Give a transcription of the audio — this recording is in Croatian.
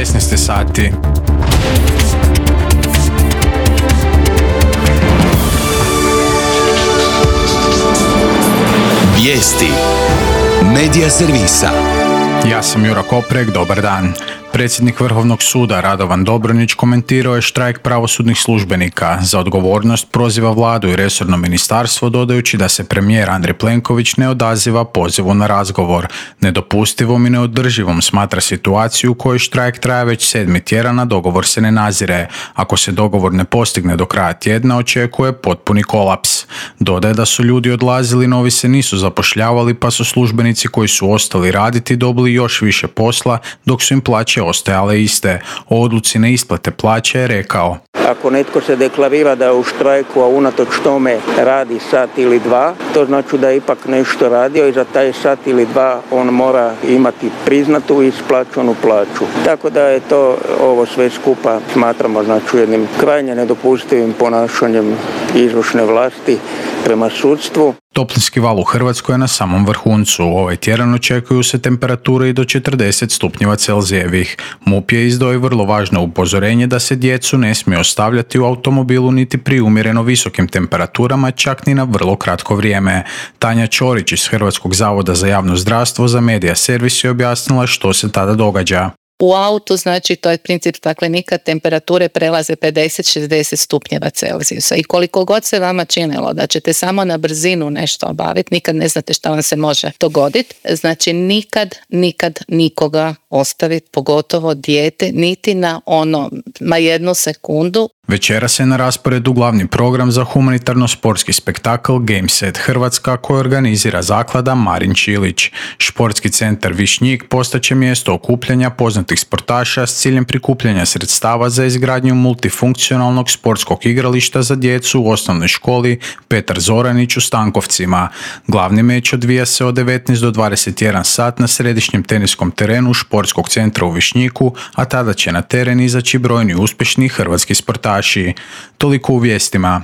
16 sati. Vijesti Medija servisa. Ja sam Jura Koprek, dobar dan. Predsjednik Vrhovnog suda Radovan Dobronić komentirao je štrajk pravosudnih službenika. Za odgovornost proziva vladu i resorno ministarstvo, dodajući da se premijer Andrej Plenković ne odaziva pozivu na razgovor. Nedopustivom i neodrživom smatra situaciju u kojoj štrajk traje već 7. tjedan, a dogovor se ne nazire. Ako se dogovor ne postigne do kraja tjedna, očekuje potpuni kolaps. Dodaje da su ljudi odlazili, novi se nisu zapošljavali, pa su službenici koji su ostali raditi dobili još više posla, dok su im plaće ostajale iste. O odluci neisplate plaće je rekao: ako netko se deklarira da je u štrajku, a unatoč tome radi sat ili dva, to znači da je ipak nešto radio i za taj sat ili dva on mora imati priznatu i isplaćenu plaću. Tako da je to ovo sve skupa smatramo znači jednim krajnje nedopustivim ponašanjem izvršne vlasti prema sudstvu. Toplinski val u Hrvatskoj je na samom vrhuncu. Ovaj tjedan očekuju se temperature i do 40 stupnjeva Celzijevih. MUP je izdao i vrlo važno upozorenje da se djecu ne smije ostavljati u automobilu niti pri umjereno visokim temperaturama, čak ni na vrlo kratko vrijeme. Tanja Ćorić iz Hrvatskog zavoda za javno zdravstvo za Medija servis je objasnila što se tada događa. U autu, znači, to je princip staklenika, temperature prelaze 50-60 stupnjeva Celzijusa i koliko god se vama činilo da ćete samo na brzinu nešto obaviti, nikad ne znate šta vam se može dogoditi, znači nikad nikoga ostaviti, pogotovo dijete, niti na jednu sekundu. Večeras je na rasporedu glavni program za humanitarno-sportski spektakl Gameset Hrvatska koji organizira zaklada Marin Čilić. Športski centar Višnjik postaće mjesto okupljanja poznatih sportaša s ciljem prikupljanja sredstava za izgradnju multifunkcionalnog sportskog igrališta za djecu u osnovnoj školi Petar Zoranić u Stankovcima. Glavni meč odvija se od 19 do 21 sat na središnjem teniskom terenu Športskog centra u Višnjiku, a tada će na teren izaći brojni uspješni hrvatski sportaši. Toliko u vijestima.